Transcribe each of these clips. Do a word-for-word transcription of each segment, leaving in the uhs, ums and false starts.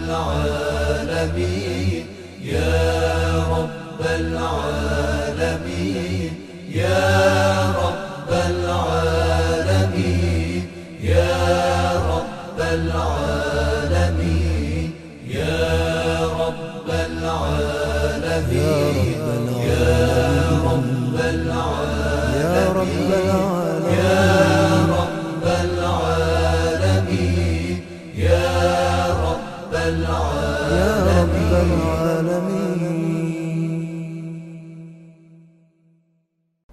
العالمين يا رب العالمين يا رب العالمين يا رب العالمين يا رب العالمين يا رب العالمين يا رب العالمين يا رب العالمين.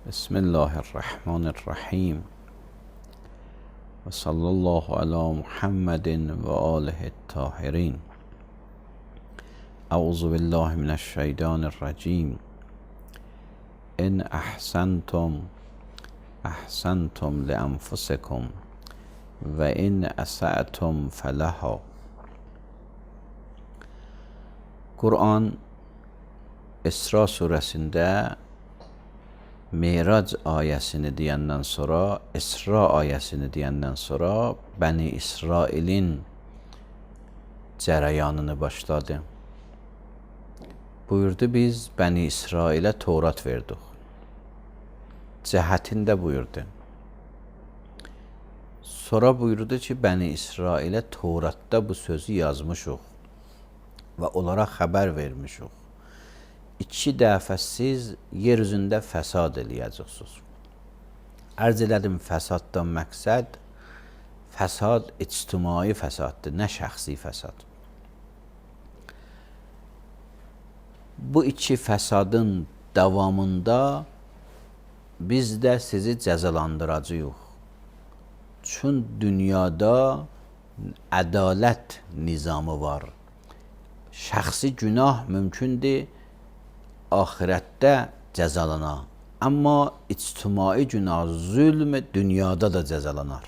بسم الله الرحمن الرحیم و صلی الله علی محمد و آله الطاهرین. اعوذ بالله من الشیطان الرجیم. ان احسنتم احسنتم لانفسکم و ان اسأتم فلها. Kur'an İsra suresinde Mirac ayesini diyenden sonra, İsra ayesini diyenden sonra Bəni İsrail'in cərəyanını başladı. Buyurdu, biz Bəni İsrail'e Tevrat verdik. Cəhətində buyurdu. Sonra buyurdu ki, Bəni İsrail'e Tevrat'ta bu sözü yazmışıq və onlara xəbər vermişik. İki dəfə siz yer üzündə fəsad eləyəcəksiniz. Ərz elədim, fəsaddan məqsəd fəsad ictimai fəsaddır, nə şəxsi fəsad. Bu iki fəsadın davamında biz də sizi cəzalandıracağıq. Çün dünyada ədalət nizamı var. Şəxsi günah mümkündür ahirətdə cəzalana. Amma ictimai günah, zülm dünyada da cəzalanar.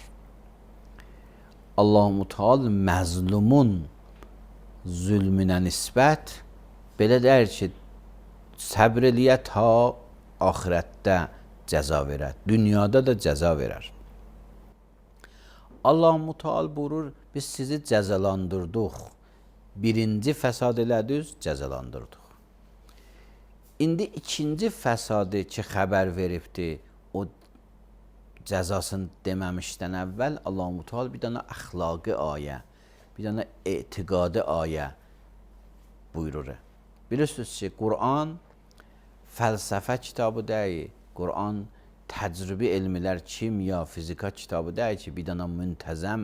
Allah-u Teala məzlumun zülmünə nisbət belə deyir ki, səbr eləyə ta ahirətdə cəza verər. Dünyada da cəza verər. Allah-u Teala buyurur, biz sizi cəzalandırdıq. Birinci fəsad elədiniz, cəzalandırdıq. İndi ikinci fəsadı ki, xəbər veribdir, o cəzasını deməmişdən əvvəl Allah-u Teala bir dənə əxlaqi ayə, bir dənə etiqadi ayə buyurur. Bilirsiniz ki, Qur'an fəlsəfə kitabı deyil, Qur'an təcrübi elmlər, kimya, fizika kitabı deyil ki, bir dənə müntəzəm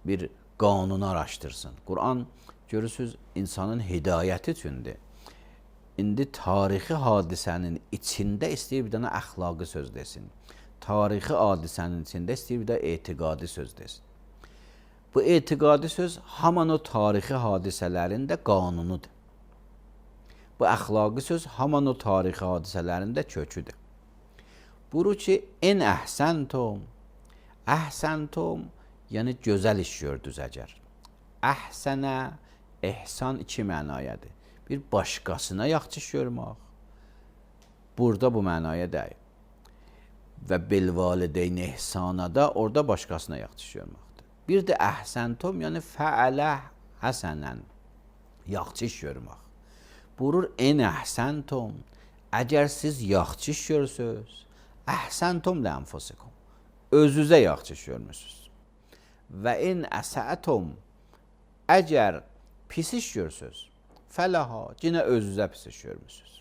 bir qanunu araşdırsın. Qur'an görürsünüz insanın hidayəti üçündür. İndi tarixi hadisənin içində istəyir bir dənə əxlaqi söz desin. Tarixi hadisənin içində istəyir bir də etiqadi söz desin. Bu etiqadi söz haman o tarixi hadisələrin də qanunudur. Bu əxlaqi söz haman o tarixi hadisələrin də köküdür. Buyurur ki, en əhsəntum, əhsəntum, yəni gözəl iş gördünüz əgər. Əhsənə, ehsan iki mənayədir. Bir başqasına yaxşı iş görmək. Burada bu mənaya deyil. Və bilvalideyn ehsana da orada başqasına yaxşı iş görməkdir. Bir də əhsəntum, yəni fəalə həsənən, yaxşı iş görmək. Buyurur, en əhsəntum, əgər siz yaxşı iş görürsünüz, əhsəntum lənfusikum, özünüzə yaxşı iş görmürsünüz. Və in əsətum, əgər pis iş görsünüz, fələha, yenə özünüzə pis iş görmürsünüz.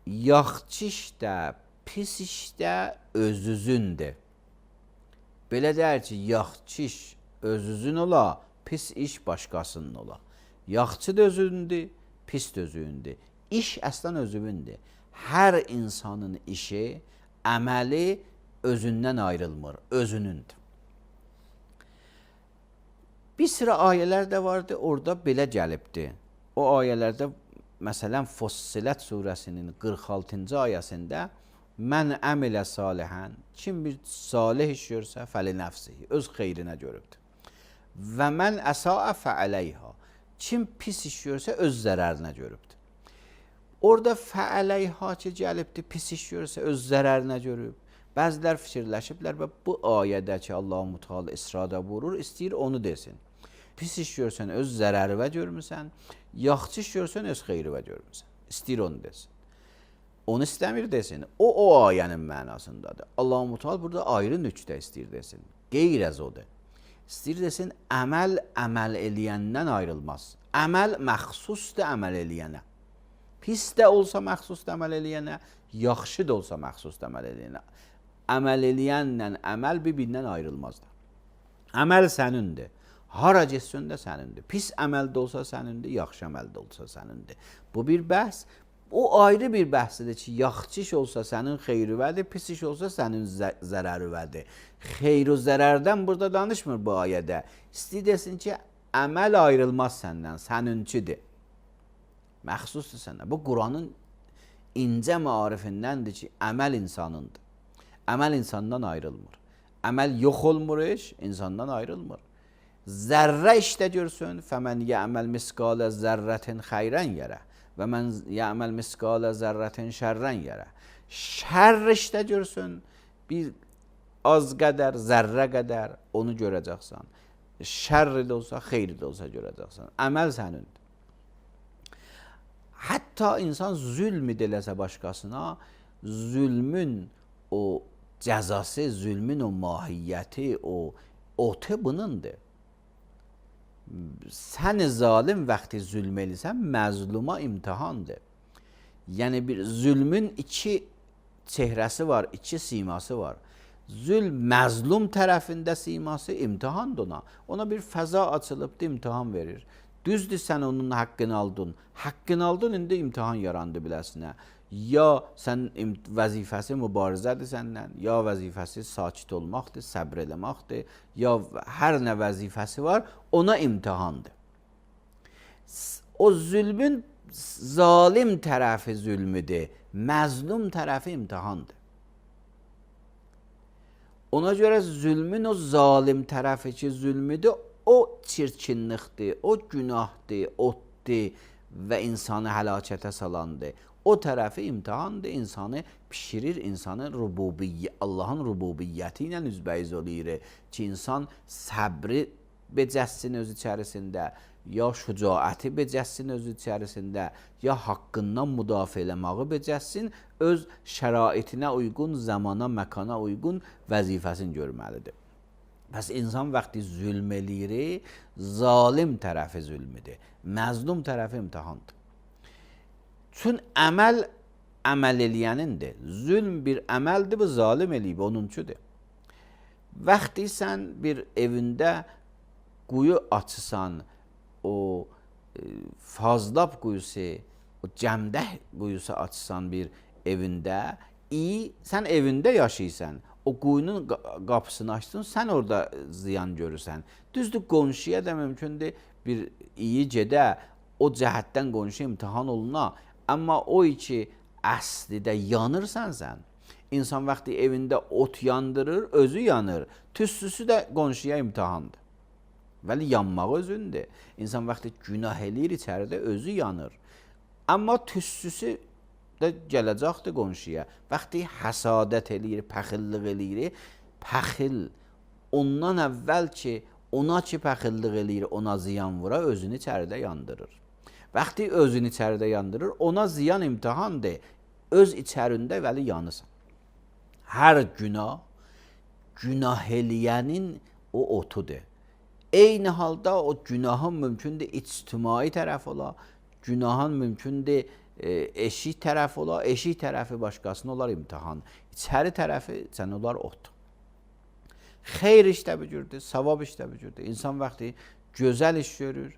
Yaxşı işdə, pis işdə özünüzdür. Belə deyir ki, yaxşı iş özünüzün ola, pis iş başqasının ola. Yaxşı da özündür, pis də özündür. İş əslən özündür. Hər insanın işi, əməli özündən ayrılmır, özünündür. Bir sıra ayələr də vardı, orada belə gəlibdir. O ayələrdə, məsələn, Fussilət surəsinin qırx altıncı ayəsində mən əmilə salihən, kim bir salih iş görsə, fəli nəfsihi, öz xeyrinə görübdür. Və mən əsaə fəələyha, kim pis iş görsə, öz zərərinə görübdür. Orada fəələyha ki, gəlibdir, pis iş görsə, öz zərərinə görüb. Bəzilər fikirləşiblər və bu ayədəki Allah-u Teala İsrada vurur, istəyir onu desin. Pis iş görsən öz zərərivə görmüsən, yaxşı iş görsən öz xeyrivə görmüsən. İstəyir onu desin. Onu istəmir desin. O, o ayənin mənasındadır. Allah-u Teala burada ayrı nöqtə istəyir desin. Qeyr əz odur. İstəyir desin, əməl əməl eləyəndən ayrılmaz. Əməl məxsusdur əməl eləyənə. Pis də olsa məxsusdur əməl eləyənə, yaxşı da olsa məxsusdur əməl eləyənə. Əməl eləyənlə əməl bir-birindən ayrılmazdır. Əməl sənindir. Hara getsən də sənindir. Pis əməl də olsa sənindir, yaxşı əməl də olsa sənindir. Bu bir bəhs. O ayrı bir bəhsdir ki, yaxşı iş olsa sənin xeyrivədir, pis iş olsa sənin zərərivədir. Xeyr-u zərərdən burada danışmır bu ayədə. İstəyir desin ki, əməl ayrılmaz səndən, səninkidir. Məxsusdur səndən. Bu Quranın incə maarifindəndir ki, əməl insanındır. Əməl insandan ayrılmır. Əməl yox olmur iş, insandan ayrılmır. Zərrə işdə görsün, fəmən yə'məl miskalə zərrətin xeyrən yerə və mən yə'məl miskalə zərrətin şərrən yerə. Şərr işdə görsün, bir az qədər, zərrə qədər onu görəcəksən. Şərr də olsa, xeyr də olsa görəcəksən. Əməl sənindir. Hətta insan zülm ediləsə başqasına, zülmün o cəzası, zülmün o mahiyyəti, o otu bunundur. Sən zalim vaxtı zülm eləsən, məzluma imtihandır. Yəni bir zülmün iki çehrəsi var, iki siması var. Zülm məzlum tərəfində siması imtihandır ona. Ona bir fəza açılıbdır, imtihan verir. Düzdür, sən onun haqqını aldın. Haqqını aldın, indi imtihan yarandı biləsinə. Ya sən vəzifəsi mübarizədir səndən, ya vəzifəsi sakit olmaqdır, səbr eləmaqdır, ya hər nə vəzifəsi var, ona imtihandır. O zülmün zalim tərəfi zülmüdür, məzlum tərəfi imtihandır. Ona görə zülmün o zalim tərəfi ki zülmüdür, o çirkinlikdir, o günahdır, otdur və insanı həlakətə salandır. O tərəfi imtihandır, insanı pişirir, insanı rububiyyə, Allahın rububiyyəti ilə üzbəyiz olur ki, insan səbri becəssin öz içərisində, ya şücaəti becəssin öz içərisində, ya haqqından müdafiə eləməyi becəssin, öz şəraitinə uyğun, zamana, məkana uyğun vəzifəsini görməlidir. Bəs insan vaxtı zülm eləyir, zalim tərəfi zülmüdür, məzlum tərəfi imtihandır. Çün əməl əməl eləyənindir. Zülm bir əməldir, bu zalim eləyib, onuncudur. Vaxtı sən bir evində quyu açısan, o e, fazlab quyusu, o cəmdəh quyusu açısan bir evində, iyi, sən evində yaşayırsan, o quyunun qapısını açdın, sən orada ziyan görürsən. Düzdür, qonşuya da mümkündür bir iyi gedə, o cəhətdən qonşu imtihan oluna, amma o ki, əslidə yanırsan sən, insan vaxtı evində ot yandırır, özü yanır, tüstüsü də qonşuya imtihandır. Vəli yanmaq özündür. İnsan vaxtı günah eləyir, içəridə özü yanır. Amma tüstüsü də gələcəkdir qonşuya. Vaxtı həsadət eləyir, pəxillik eləyir, pəxil ondan əvvəl ki, ona ki pəxillik eləyir, ona ziyan vura, özünü içəridə yandırır. Vaxtı özünü içəridə yandırır, ona ziyan imtihandır. Öz içərində vəli yanırsan. Hər günah, günah eləyənin o otudur. Eyni halda o günahın mümkündür ictimai tərəf ola, günahın mümkündür e, eşik tərəf ola, eşik tərəfi başqasına olar imtihan. İçəri tərəfi sən olar ot. Xeyr işdə bücürdür, savab işdə bücürdür. İnsan vaxtı gözəl iş görür,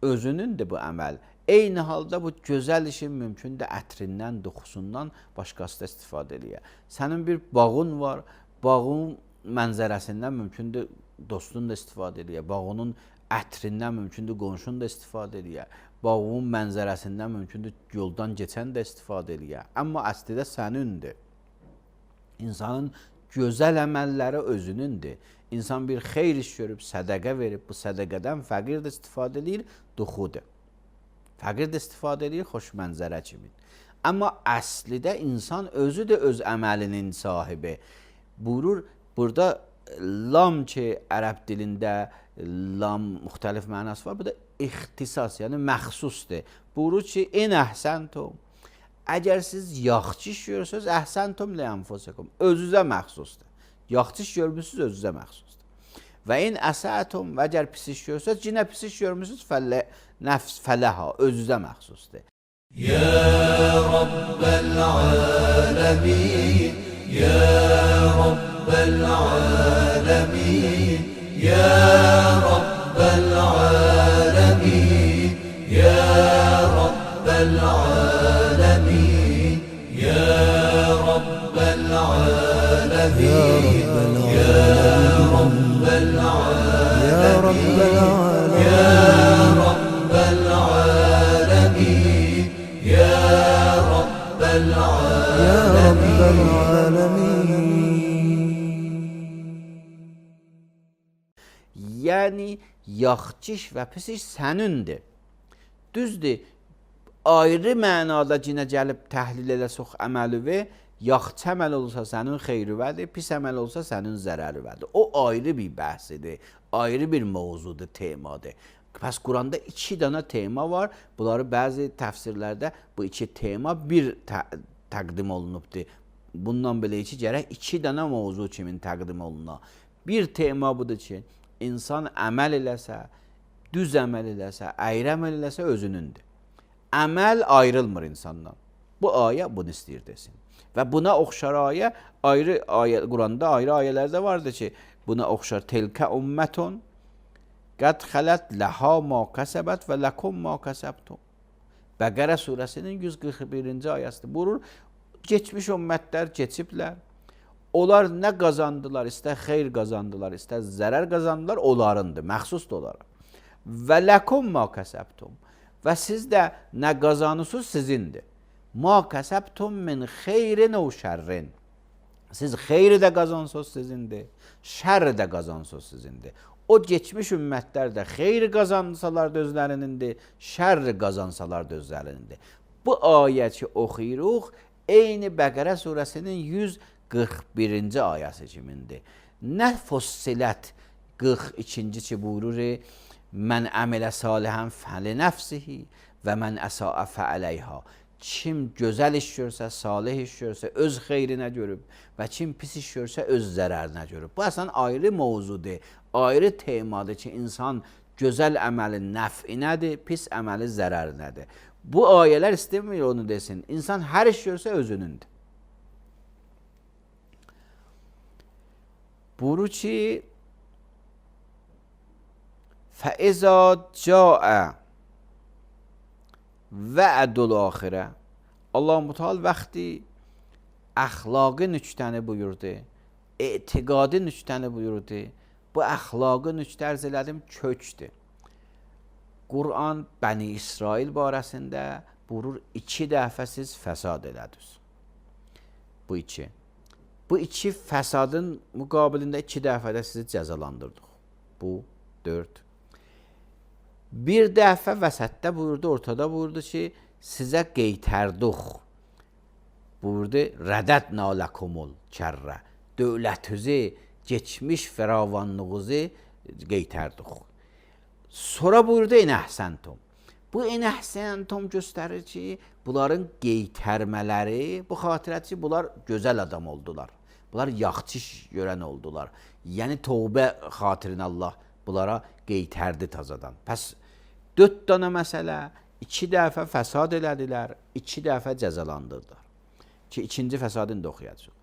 özünündür bu əməl. Eyni halda bu gözəl işin mümkündür ətrindən, duxusundan başqası da istifadə eləyər. Sənin bir bağın var, bağın mənzərəsindən mümkündür dostun da istifadə eləyər. Bağının ətrindən mümkündür qonşun da istifadə eləyər. Bağın mənzərəsindən mümkündür yoldan keçən də istifadə eləyər. Amma əslində sənindir. İnsanın gözəl əməlləri özünündür. İnsan bir xeyr iş görüb, sədəqə verib, bu sədəqədən fəqir də istifadə eləyir, duxudur. Fəqir də istifadə eləyir, xoş mənzərə kimi. Amma əslidə insan özü də öz əməlinin sahibi. Buyurur, burada lam ki ərəb dilində lam müxtəlif mənası var. Bu da ixtisas, yəni məxsusdur. Buyurur ki, in əhsəntum. Əgər siz yaxşı iş görürsünüz, əhsəntum li ənfusikum. Özünüzə məxsusdur. Yaxşı iş görmüsünüz, özünüzə məxsusdur. Və in əsətum, və əgər pis iş görürsünüz, cinə pis iş görmüsünüz, fəllə, nəfs fələha, özünüzə məxsusdur. Ya Rabbel alemin, Ya Rabbel alemin, Ya Rabbel alemin, Ya Rabbel alemin, Ya Rabbel alemin, Ya Rabbel alemin, Ya Rabbel alemin, Ya Rabbel alemin, Ya Rabbel Ya Rabbel alemin. alemin. Yəni, yaxşı iş və pis iş sənindir. Düzdür, ayrı mənada cinə gəlib təhlil eləsək əməlivi, yaxşı əməl olsa sənin xeyrüvədir, pis əməl olsa sənin zərərüvədir. O ayrı bir bəhsidir, ayrı bir mövzudur, temadır. Pəs Quranda iki dana tema var. Bunları bəzi təfsirlərdə bu iki tema bir tə təqdim olunubdur. Bundan belə ki, gərək iki dana mövzu kimin təqdim oluna. Bir tema budur ki, insan əməl eləsə, düz əməl eləsə, əyri əməl eləsə özünündür. Əməl ayrılmır insandan. Bu ayə bunu istəyir desin. Və buna oxşar ayə, ayrı ayə, Quranda ayrı ayələrdə vardır ki, buna oxşar telkə ümmətun qəd xələt ləhə ma kəsəbət və ləkum ma kəsəbtum. Bəqərə surəsinin yüz qırx birinci ayəsidir. Buyurur, geçmiş ümmətlər keçiblər. Onlar nə qazandılar, istər xeyr qazandılar, istər zərər qazandılar, onlarındır, məxsusdur onlara. Və ləkum ma kəsəbtum. Və siz də nə qazanırsınız sizindir. Ma kəsəbtum min xeyrin o şərrin. Siz xeyri də qazansınız sizindir, şərri də qazansınız sizindir. O geçmiş ümmətlər də xeyri qazansalar da özlərinindir, şərri qazansalar da özlərinindir. Bu ayə ki oxuyuruq, eyni Bəqərə surəsinin yüz qırx birinci ayəsi kimindir. Nə fussilət qırx ikinci ki buyurur, mən əmələ salihən fəli nəfsihi və mən əsaə fəələyha. Kim gözəl iş görsə, salih iş görsə, öz xeyrinə görüb və kim pis iş görsə, öz zərərinə görüb. Bu əslən ayrı mövzudur, ayrı temadır ki, insan gözəl əməlin nəf'inədir, pis əməli zərərinədir. Bu ayələr istəmir onu desin. İnsan hər iş görsə özünündür. Buyurur ki, فَإِذَا جَاءَ və'dul axirə. Allah-u Teala vaxtı əxlaqi nüktəni buyurdu, etiqadi nüktəni buyurdu. Bu əxlaqi nüktə ərz elədim kökdür. Quran Bəni İsrail barəsində buyurur, iki dəfə siz fəsad elədiniz. Bu iki. Bu iki fəsadın müqabilində iki dəfə də sizi cəzalandırdıq. Bu dörd. Bir dəfə vəsətdə buyurdu, ortada buyurdu ki, sizə qeytərduq. Buyurdu, rədədnə ləkumul kərrə. Dövlətinizi, geçmiş firavanlığınızı qeytərduq. Sonra buyurdu, inəhsəntum. Bu inəhsəntum göstərir ki, bunların qeytərmələri, bu xatirət ki, bunlar gözəl adam oldular. Bunlar yaxşı iş görən oldular. Yəni, tövbə xatirinə Allah bunlara qeytərdi tazadan. Pəs, dörd dana məsələ, iki dəfə fəsad elədilər, iki dəfə cəzalandırdılar. Ki, ikinci fəsadını da oxuyacaq.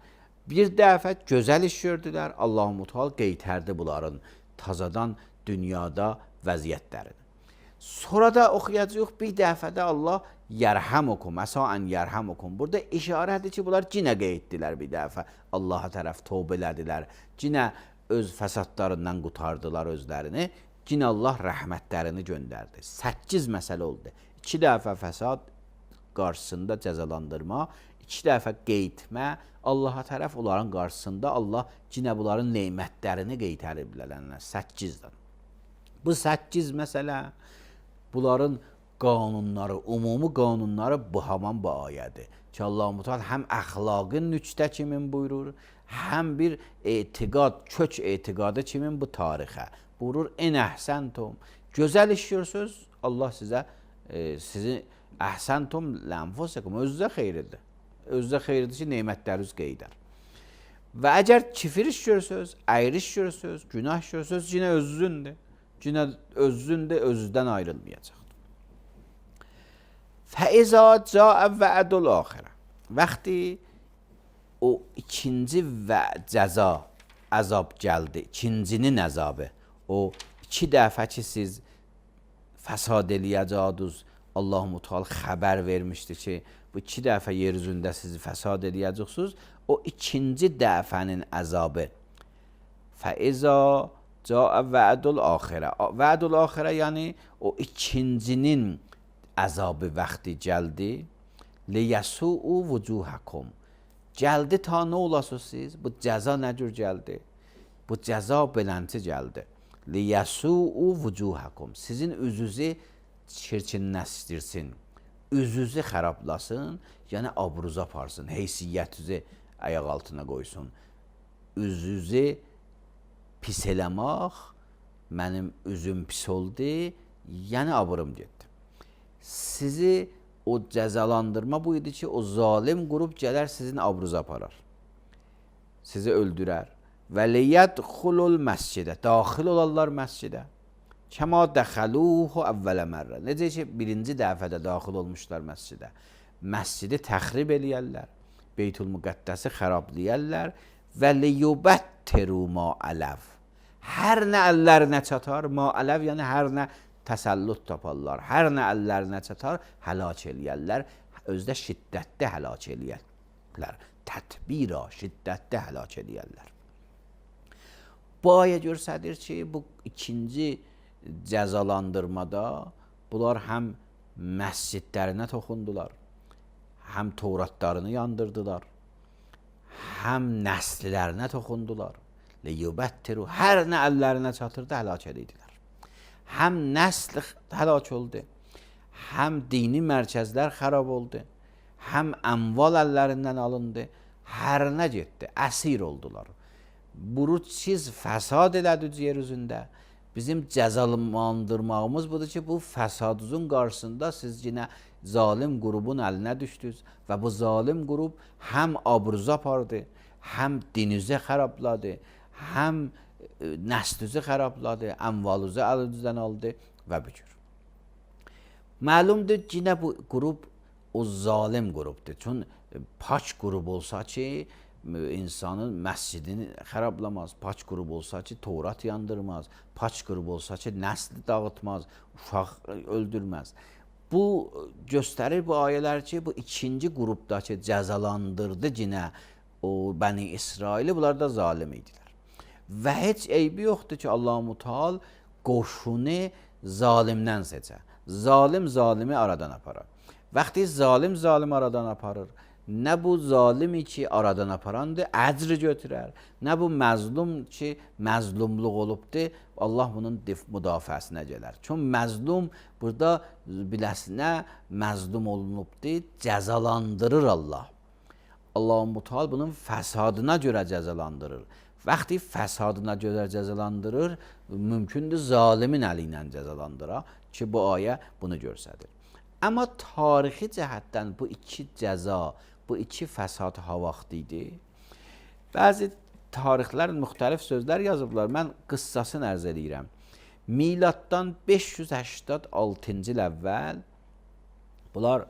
Bir dəfə gözəl iş gördülər, Allah-u Teala qeytərdi bunların tazadan dünyada vəziyyətlərini. Sonra da oxuyacaq, bir dəfə də Allah yərhəmukum, əsaən yərhəmukum. Burada işarədir ki, bunlar cinə qeytdilər bir dəfə. Allaha tərəf tövbə elədilər, cinə öz fəsadlarından qutardılar özlərini. Cinə Allah rəhmətlərini göndərdi. Səkkiz məsələ oldu. İki dəfə fəsad qarşısında cəzalandırma, iki dəfə qeytmə, Allaha tərəf onların qarşısında Allah cinə bunların neymətlərini qeytərib bilələnlər. Səkkizdən. Bu səkkiz məsələ, bunların qanunları, umumi qanunları bu haman bu ayədir. ki Allah Müteala həm əxlaqın nüçdə kimin buyurur, həm bir etiqad, kök etiqadı kimin bu tarixə buyurur. En əhsəntum, gözəl işləyirsiniz, Allah sizə e, sizin əhsəntum lənfusikum, özünüzə xeyirlidir. Özünüzə xeyirlidir ki, nemətləriniz qeydər. Və əgər kifir işləyirsiniz, əyri işləyirsiniz, günah işləyirsiniz, yenə özünüzdür. Yenə özünüzdür, özünüzdən ayrılmayacaq. Fəizə cəə vədul axirə. Vəxti o ikinci və cəza, əzab gəldi, ikincinin əzabı, o iki dəfə ki siz fəsad eləyəcədiniz, Allah-u Teala xəbər vermişdi ki, bu iki dəfə yer üzündə sizi fəsad eləyəcəksiniz, o ikinci dəfənin əzabı. Fəizə cəə vədul axirə. Vədul axirə yəni o ikincinin əzabı vaxtı gəldi. Liyəsu'u vucuhakum. Gəldi ta nə olasınız siz? Bu cəza nə cür gəldi? Bu cəza belənti gəldi. Liyəsu'u vucuhakum. Sizin üzünüzü çirkinləşdirsin. Üzünüzü xərablasın, yəni abruza aparsın, heysiyyətinizi ayaq altına qoysun. Üzünüzü pis eləmək, mənim üzüm pis oldu, yəni abrum getdi. Sizi o cəzalandırma bu idi ki, o zalim qrup gələr sizin abruza aparar. Sizi öldürər. Və liyədxulul məscidə. Daxil olarlar məscidə. Kəma dəxəluhu əvvələ mərrə. Necə ki, birinci dəfədə daxil olmuşlar məscidə. Məscidi təxrib eləyərlər. Beytül-Müqəddəsi xərablayərlər. Və liyubəttiru ma ələv. Hər nə əllərinə çatar, ma ələv yəni hər nə təsəllüt taparlar. Hər nə əllərinə çatar, həlak eləyərlər. Özdə şiddətdə həlak eləyərlər. Tətbira, şiddətdə həlak eləyərlər. Bu ayə göstərir ki, bu ikinci cəzalandırmada bunlar həm məscidlərinə toxundular, həm Tövratlarını yandırdılar, həm nəslilərinə toxundular. Liyubəttiru, hər nə əllərinə çatırdı, həlak edirdilər. Həm nəsl həlak oldu, həm dini mərkəzlər xarab oldu, həm əmval əllərindən alındı, hər nə getdi, əsir oldular. Bunu siz fəsad elədiniz yer üzündə. Bizim cəzalandırmağımız budur ki, bu fəsadınızın qarşısında siz yine zalim qrubun əlinə düşdünüz və bu zalim qrub həm abruza apardı, həm dininizi xərabladı, həm nəslinizi xərabladı, əmvalınızı əlinizdən aldı və bu cür. Məlumdur ki, yine bu qrub o zalim qrubdur. Çün paç qrub olsa ki, insanın məscidini xərablamaz, paç qrub olsa ki, Tövrat yandırmaz, paç qrub olsa ki, nəsli dağıtmaz, uşaq öldürməz. Bu göstərir bu ayələr ki, bu ikinci qrubdakı cəzalandırdı yine o Bəni İsraili, bunlar da zalim idilər. Və heç eybi yoxdur ki, Allah-u Teala qoşunu zalimdən seçər. Zalim zalimi aradan aparar. Vaxtı zalim zalimi aradan aparır, nə bu zalimi ki aradan aparandır, əcr götürər, nə bu məzlum ki məzlumluq olubdur, Allah bunun müdafiəsinə gələr. Çünki məzlum burada biləsinə məzlum olunubdur, cəzalandırır Allah. Allah-u Teala bunun fəsadına görə cəzalandırır. Vaxtı fəsadına görə cəzalandırır, mümkündür zalimin əli ilə cəzalandıra ki, bu ayə bunu göstərir. Amma tarixi cəhətdən bu iki cəza, bu iki fəsad ha vaxt idi. Bəzi tarixlər müxtəlif sözlər yazıblar. Mən qıssasını ərz edirəm. Miladdan beş yüz səksən altıncı il əvvəl bunlar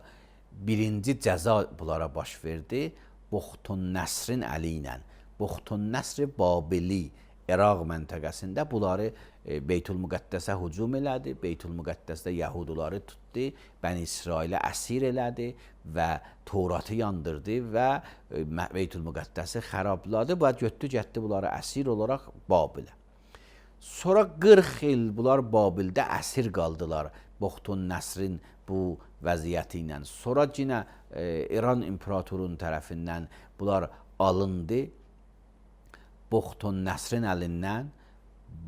birinci cəza bunlara baş verdi. Buxtun Nəsrin əli ilə. Buxtun Nəsri Babili İraq məntəqəsində bunları e, Beytül-Müqəddəsə hücum elədi. Beytül-Müqəddəsdə Yahudiləri tutdu, Bəni İsrailə əsir elədi və Tövratı yandırdı və e, Beytül-Müqəddəsi xərabladı və götdü getdi bunları əsir olaraq Babilə. Sonra qırx il bunlar Babildə əsir qaldılar Buxtun Nəsrin bu vəziyyəti ilə. Sonra yine e, İran imperatorunun tərəfindən bunlar alındı. Buxtun Nəsrin əlindən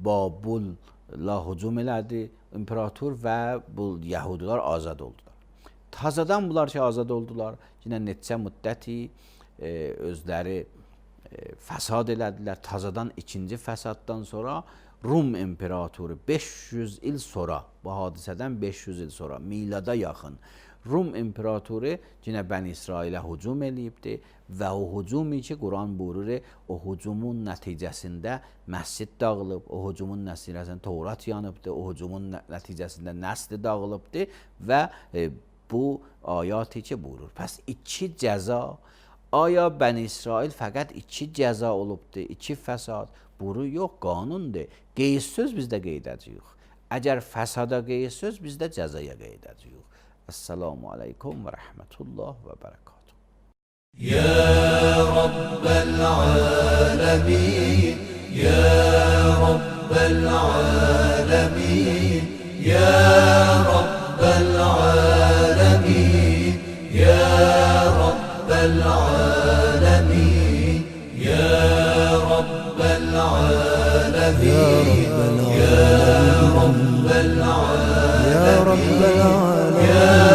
Babulla hücum elədi imperator və bu Yahudilər azad oldular. Tazadan bunlar ki azad oldular. Yenə neçə müddəti e, özləri e, fəsad elədilər. Tazadan ikinci fəsaddan sonra Rum imperatoru beş yüz il sonra, bu hadisədən beş yüz il sonra, milada yaxın Rum imperatoru yenə Bəni İsrailə hücum eləyibdi və o hücumu ki, Quran buyurur, o hücumun nəticəsində məscid dağılıb, o hücumun nəticəsində Tövrat yanıbdı, o hücumun nəticəsində nəsli dağılıbdı və e, bu ayəti ki buyurur. Pəs iki cəza, aya Bəni İsrail fəqət iki cəza olubdu, iki fəsad, buyurur, yox, qanundur. Qeyd söz bizdə qeyd edəcəyik. Əgər fəsada qeyd söz, bizdə cəzaya qeyd edəcəyik. Esselamu aleykum ve rahmetullah ve berekatuhu. Ya Rabbel alemin, Ya Rabbel alemin, Ya Rabbel alemin, Ya Rabbel alemin, Ya Rabbel alemin, Ya Rabbel alemin, يا رب العالمين Ya